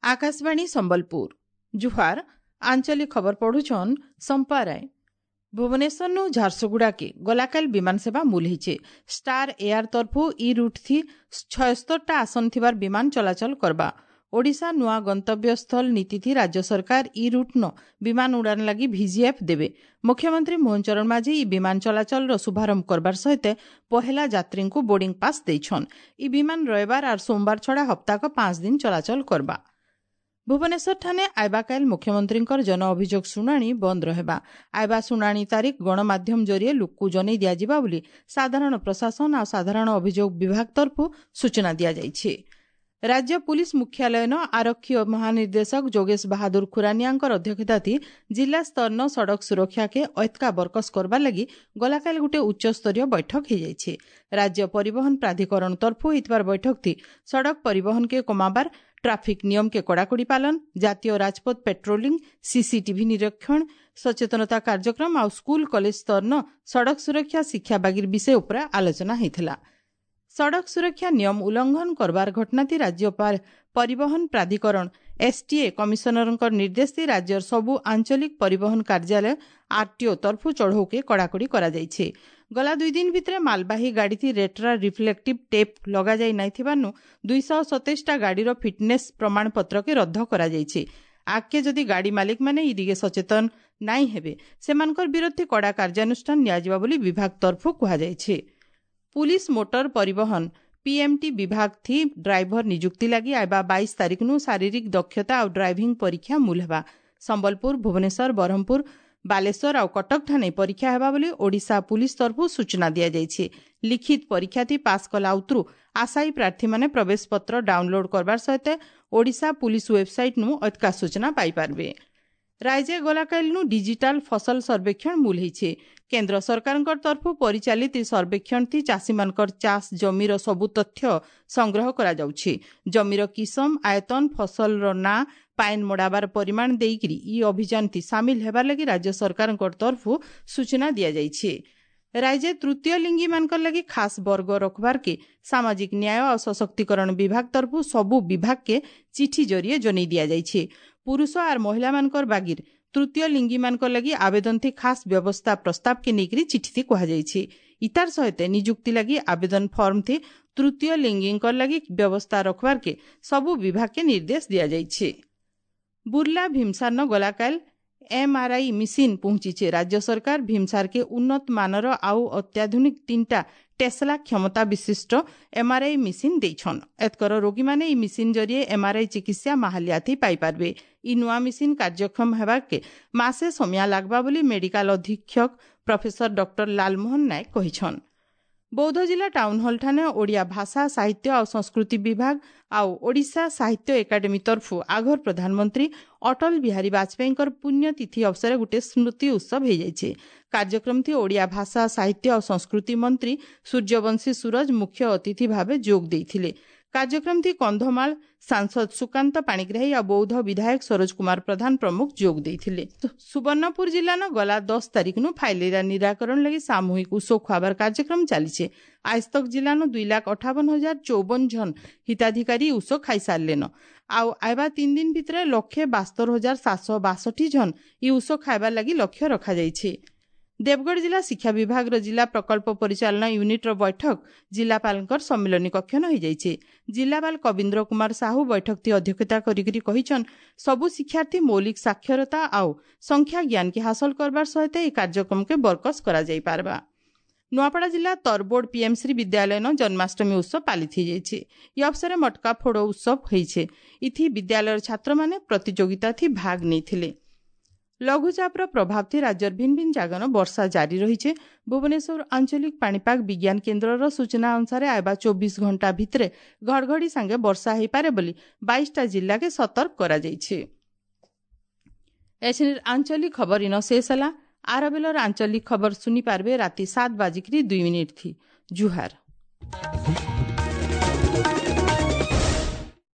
Akashvani Sambalpur ଜୁହାର। ଆଞ୍ଚଳିକ ଖବର ପଢୁଛନ୍ ସମ୍ପା ରାୟ। ଭୁବନେଶ୍ୱରନୁ ଝାରସୁଗୁଡ଼ାକେ ଗଲାକାଲ ବିମାନ ସେବା ମୂଲ ହେଇଛେ। ଷ୍ଟାର ଏୟାର ତରଫୁ ଇ ରୁଟ୍ ଥି 76ଟା ଆସନ ଥିବାର ବିମାନ ଚଳାଚଳ କରବା। ଓଡ଼ିଶା ନୂଆ ଗନ୍ତବ୍ୟସ୍ଥଳ ନୀତିଥି ରାଜ୍ୟ ସରକାର ଇ ରୁଟ୍ ନ ବିମାନ ଉଡ଼ାଣ ଲାଗି ଭିଜିଏଫ୍ ଦେବେ। ମୁଖ୍ୟମନ୍ତ୍ରୀ ମୋହନ ଚରଣ ମାଝୀ ଇ ବିମାନ ଚଳାଚଳର ଶୁଭାରମ୍ଭ କରବାର ସହିତ ପହେଲା ଯାତ୍ରୀଙ୍କୁ ବୋର୍ଡିଂ ପାସ୍ ଦେଇଛନ୍। ଇ ବିମାନ ରବିବାର ଆର୍ ସୋମବାର ଛଡ଼ା ହପ୍ତାକ 5 ଦିନ ଚଳାଚଳ କରବା। ଭୁବନେଶ୍ୱର ଠାନେ ଆଇବାକାଇଲ ମୁଖ୍ୟମନ୍ତ୍ରୀଙ୍କର ଜନ ଅଭିଯୋଗ ଶୁଣାଣି ବନ୍ଦ ରହିବା। ଆଇବା ଶୁଣାଣି ତାରିଖ ଗଣମାଧ୍ୟମ ଜରିଏ ଲୋକକୁ ଜଣାଇ ଦିଆଯିବା ବୋଲି ସାଧାରଣ ପ୍ରଶାସନ ଆଉ ସାଧାରଣ ଅଭିଯୋଗ ବିଭାଗ ତରଫରୁ ସୂଚନା ଦିଆଯାଇଛି। ରାଜ୍ୟ ପୁଲିସ ମୁଖ୍ୟାଳୟନ ଆରକ୍ଷୀ ମହାନିର୍ଦ୍ଦେଶକ ଯୋଗେଶ ବାହାଦୁର ଖୁରାନିଆଙ୍କର ଅଧ୍ୟକ୍ଷତାଥି ଜିଲ୍ଲା ସ୍ତରନ ସଡ଼କ ସୁରକ୍ଷାକେ ଐତକା ବରକସ କରବାର ଲାଗି ଗଲାକାଲି ଗୋଟିଏ ଉଚ୍ଚସ୍ତରୀୟ ବୈଠକ ହୋଇଯାଇଛି। ରାଜ୍ୟ ପରିବହନ ପ୍ରାଧିକରଣ ତରଫୁ ହୋଇଥିବାର ବୈଠକଥି ସଡ଼କ ପରିବହନକେ କମାବାର, ଟ୍ରାଫିକ୍ ନିୟମକେ କଡ଼ାକଡ଼ି ପାଲନ, ଜାତୀୟ ରାଜପଥ ପେଟ୍ରୋଲିଂ, ସିସିଟିଭି ନିରୀକ୍ଷଣ, ସଚେତନତା କାର୍ଯ୍ୟକ୍ରମ ଆଉ ସ୍କୁଲ କଲେଜ ସ୍ତରନ ସଡ଼କ ସୁରକ୍ଷା ଶିକ୍ଷା ବାଗିର ବିଷୟ ଉପରେ ଆଲୋଚନା ହୋଇଥିଲା। ସଡ଼କ ସୁରକ୍ଷା ନିୟମ ଉଲ୍ଲଂଘନ କରବାର ଘଟଣାତି ରାଜ୍ୟ ପରିବହନ ପ୍ରାଧିକରଣ ଏସ୍ଟିଏ କମିଶନରଙ୍କ ନିର୍ଦ୍ଦେଶ ରାଜ୍ୟର ସବୁ ଆଞ୍ଚଳିକ ପରିବହନ କାର୍ଯ୍ୟାଳୟ ଆରଟିଓ ତରଫୁ ଚଢ଼ଉକେ କଡ଼ାକଡ଼ି କରାଯାଇଛି। ଗଲା 2 ଦିନ ଭିତରେ ମାଲବାହୀ ଗାଡ଼ିଥି ରେଟ୍ରା ରିଫ୍ଲେକ୍ଟିଭ୍ ଟେପ୍ ଲଗାଯାଇ ନାଇଥିବାରୁ 227ଟା ଗାଡ଼ିର ଫିଟନେସ୍ ପ୍ରମାଣପତ୍ରକେ ରଦ୍ଦ କରାଯାଇଛି। ଆଗକେ ଯଦି ଗାଡ଼ି ମାଲିକମାନେ ଇ ଦିଗେ ସଚେତନ ନାଇଁ ହେବେ, ସେମାନଙ୍କର ବିରୁଦ୍ଧେ କଡ଼ା କାର୍ଯ୍ୟାନୁଷ୍ଠାନ ନିଆଯିବ ବୋଲି ବିଭାଗ ତରଫୁ କୁହାଯାଇଛି। ପୁଲିସ ମୋଟର ପରିବହନ ପିଏମ୍ଟି ବିଭାଗ ଥି ଡ୍ରାଇଭର ନିଯୁକ୍ତି ଲାଗି ଆଇବା 22 ତାରିଖନୁ ଶାରୀରିକ ଦକ୍ଷତା ଆଉ ଡ୍ରାଇଭିଂ ପରୀକ୍ଷା ମୂଲ ହେବା। ସମ୍ବଲପୁର, ଭୁବନେଶ୍ୱର, ବ୍ରହ୍ମପୁର, ବାଲେଶ୍ୱର ଆଉ କଟକ ଠାନେ ପରୀକ୍ଷା ହେବା ବୋଲି ଓଡ଼ିଶା ପୁଲିସ ତରଫରୁ ସୂଚନା ଦିଆଯାଇଛି। ଲିଖିତ ପରୀକ୍ଷାଥି ପାସ୍ କଲା ଉତରୁ ଆଶାୟୀ ପ୍ରାର୍ଥୀମାନେ ପ୍ରବେଶ ପତ୍ର ଡାଉନଲୋଡ୍ କରବାର ସହିତ ଓଡ଼ିଶା ପୁଲିସ ୱେବସାଇଟ୍ନୁ ଅଧିକା ସୂଚନା ପାଇପାରିବେ। ରାଜ୍ୟ ଗଲାକାଲିନୁ ଡିଜିଟାଲ ଫସଲ ସର୍ବେକ୍ଷଣ ମୂଲ ହେଇଛେ। କେନ୍ଦ୍ର ସରକାରଙ୍କ ତରଫରୁ ପରିଚାଳିତ ସର୍ବେକ୍ଷଣଥି ଚାଷୀମାନଙ୍କର ଚାଷ ଜମିର ସବୁ ତଥ୍ୟ ସଂଗ୍ରହ କରାଯାଉଛି। ଜମିର କିସମ, ଆୟତନ, ଫସଲର ନାଁ, ପାଏନ୍ ମଡ଼ାବାର ପରିମାଣ ଦେଇକିରି ଇ ଅଭିଯାନଥି ସାମିଲ ହେବାର ଲାଗି ରାଜ୍ୟ ସରକାରଙ୍କ ତରଫରୁ ସୂଚନା ଦିଆଯାଇଛି। ରାଜ୍ୟ ତୃତୀୟ ଲିଙ୍ଗୀମାନଙ୍କର ଲାଗି ଖାସ୍ ବର୍ଗ ରଖବାରକେ ସାମାଜିକ ନ୍ୟାୟ ଆଉ ସଶକ୍ତିକରଣ ବିଭାଗ ତରଫରୁ ସବୁ ବିଭାଗକେ ଚିଠି ଜରିଏ ଜଣାଇ ଦିଆଯାଇଛି। ପୁରୁଷ ଆର୍ ମହିଳାମାନଙ୍କର ବାଗିର ତୃତୀୟ ଲିଙ୍ଗୀମାନଙ୍କର ଲାଗି ଆବେଦନଥି ଖାସ୍ ବ୍ୟବସ୍ଥା ପ୍ରସ୍ତାବକେ ନେଇକରି ଚିଠିଥି କୁହାଯାଇଛି। ଇତାର ସହିତ ନିଯୁକ୍ତି ଲାଗି ଆବେଦନ ଫର୍ମଥି ତୃତୀୟ ଲିଙ୍ଗୀଙ୍କର ଲାଗି ବ୍ୟବସ୍ଥା ରଖବାରକେ ସବୁ ବିଭାଗକେ ନିର୍ଦ୍ଦେଶ ଦିଆଯାଇଛି। ବୁର୍ଲା ଭୀମସାରନ ଗଲାକାଲ ଏମ୍ଆର୍ଆଇ ମିସିନ୍ ପହଞ୍ଚିছে। ରାଜ୍ୟ ସରକାର ଭୀମସାରକେ ଉନ୍ନତ ମାନର ଆଉ ଅତ୍ୟାଧୁନିକ 3ଟା ଟେସଲା କ୍ଷମତା ବିଶିଷ୍ଟ ଏମ୍ଆର୍ଆଇ ମିସିନ୍ ଦେଇଛନ୍। ଏତକର ରୋଗୀମାନେ ଇ ମିସିନ୍ ଜରିଏ ଏମ୍ଆର୍ଆଇ ଚିକିତ୍ସା ମାହାଲିଆଥି ପାଇପାରିବେ। ଇ ନୂଆ ମିସିନ୍ କାର୍ଯ୍ୟକ୍ଷମ ହେବାକେ ମାସେ ସମୟ ଲାଗ୍ବା ବୋଲି ମେଡିକାଲ ଅଧୀକ୍ଷକ ପ୍ରଫେସର ଡକ୍ଟର ଲାଲମୋହନ ନାୟକ କହିଛନ୍। ବୌଦ୍ଧ ଜିଲ୍ଲା ଟାଉନ୍ ହଲ୍ ଠାନେ ଓଡ଼ିଆ ଭାଷା, ସାହିତ୍ୟ ଆଉ ସଂସ୍କୃତି ବିଭାଗ ଆଉ ଓଡ଼ିଶା ସାହିତ୍ୟ ଏକାଡେମୀ ତରଫରୁ ଆଗର ପ୍ରଧାନମନ୍ତ୍ରୀ ଅଟଳ ବିହାରୀ ବାଜପେୟୀଙ୍କର ପୁଣ୍ୟତିଥି ଅବସରରେ ଗୋଟିଏ ସ୍ମୃତି ଉତ୍ସବ ହୋଇଯାଇଛି। କାର୍ଯ୍ୟକ୍ରମଥି ଓଡ଼ିଆ ଭାଷା, ସାହିତ୍ୟ ଆଉ ସଂସ୍କୃତି ମନ୍ତ୍ରୀ ସୂର୍ଯ୍ୟବଂଶୀ ସୂରଜ ମୁଖ୍ୟ ଅତିଥି ଭାବେ ଯୋଗ ଦେଇଥିଲେ। କାର୍ଯ୍ୟକ୍ରମଥି କନ୍ଧମାଳ ସାଂସଦ ସୁକାନ୍ତ ପାଣିଗ୍ରାହୀ ଆଉ ବୌଦ୍ଧ ବିଧାୟକ ସରୋଜ କୁମାର ପ୍ରଧାନ ପ୍ରମୁଖ ଯୋଗ ଦେଇଥିଲେ। ସୁବର୍ଣ୍ଣପୁର ଜିଲ୍ଲାନ ଗଲା 10 ତାରିଖନୁ ଫାଇଲେରିଆ ନିରାକରଣ ଲାଗି ସାମୂହିକ ଉଷ ଖୁଆବାର କାର୍ଯ୍ୟକ୍ରମ ଚାଲିଛେ। ଆଜ ତକ ଜିଲ୍ଲାନ 2,58,054 ଜଣ ହିତାଧିକାରୀ ଉଷ ଖାଇସାରିଲେନ। ଆଉ ଆଇବା 3 ଦିନ ଭିତରେ 1,72,762 ଜଣ ଇ ଉଷ ଖାଇବାର ଲାଗି ଲକ୍ଷ୍ୟ ରଖାଯାଇଛି। ଦେବଗଡ଼ ଜିଲ୍ଲା ଶିକ୍ଷା ବିଭାଗର ଜିଲ୍ଲା ପ୍ରକଳ୍ପ ପରିଚାଳନା ୟୁନିଟ୍ର ବୈଠକ ଜିଲ୍ଲାପାଳଙ୍କର ସମ୍ମିଳନୀ କକ୍ଷନ ହୋଇଯାଇଛି। ଜିଲ୍ଲାପାଳ କବୀନ୍ଦ୍ର କୁମାର ସାହୁ ବୈଠକଟି ଅଧ୍ୟକ୍ଷତା କରିକରି କହିଛନ୍, ସବୁ ଶିକ୍ଷାର୍ଥୀ ମୌଳିକ ସାକ୍ଷରତା ଆଉ ସଂଖ୍ୟା ଜ୍ଞାନକେ ହାସଲ କରବାର ସହିତ ଏହି କାର୍ଯ୍ୟକ୍ରମକେ ବରକସ କରାଯାଇପାରବା। ନୂଆପଡ଼ା ଜିଲ୍ଲା ତରବୋର୍ଡ ପିଏମ୍ଶ୍ରୀ ବିଦ୍ୟାଳୟନ ଜନ୍ମାଷ୍ଟମୀ ଉତ୍ସବ ପାଳିତ ହୋଇଯାଇଛି। ଇ ଅବସରରେ ମଟକା ଫୋଡ଼ ଉତ୍ସବ ହୋଇছে। ଇଥି ବିଦ୍ୟାଳୟର ଛାତ୍ରମାନେ ପ୍ରତିଯୋଗିତାଥି ଭାଗ ନେଇଥିଲେ। ଲଘୁଚାପର ପ୍ରଭାବଥି ରାଜ୍ୟର ଭିନ୍ନ ଭିନ୍ନ ଜାଗାନ ବର୍ଷା ଜାରି ରହିছে। ଭୁବନେଶ୍ୱର ଆଞ୍ଚଳିକ ପାଣିପାଗ ବିଜ୍ଞାନ କେନ୍ଦ୍ରର ସୂଚନା ଅନୁସାରେ ଆଇବା 24 ଘଣ୍ଟା ଭିତରେ ଘଡ଼ଘଡ଼ି ସାଙ୍ଗେ ବର୍ଷା ହୋଇପାରେ ବୋଲି 22ଟା ଜିଲ୍ଲାକେ ସତର୍କ କରାଯାଇଛି। ଏଛିନିର ଆଞ୍ଚଳିକ ଖବର ଇନ ଶେଷ ହେଲା। ଆର ବେଲର ଆଞ୍ଚଳିକ ଖବର ଶୁନି ପାରବେ ରାତି 7:02 ଥି। ଜୁହାର।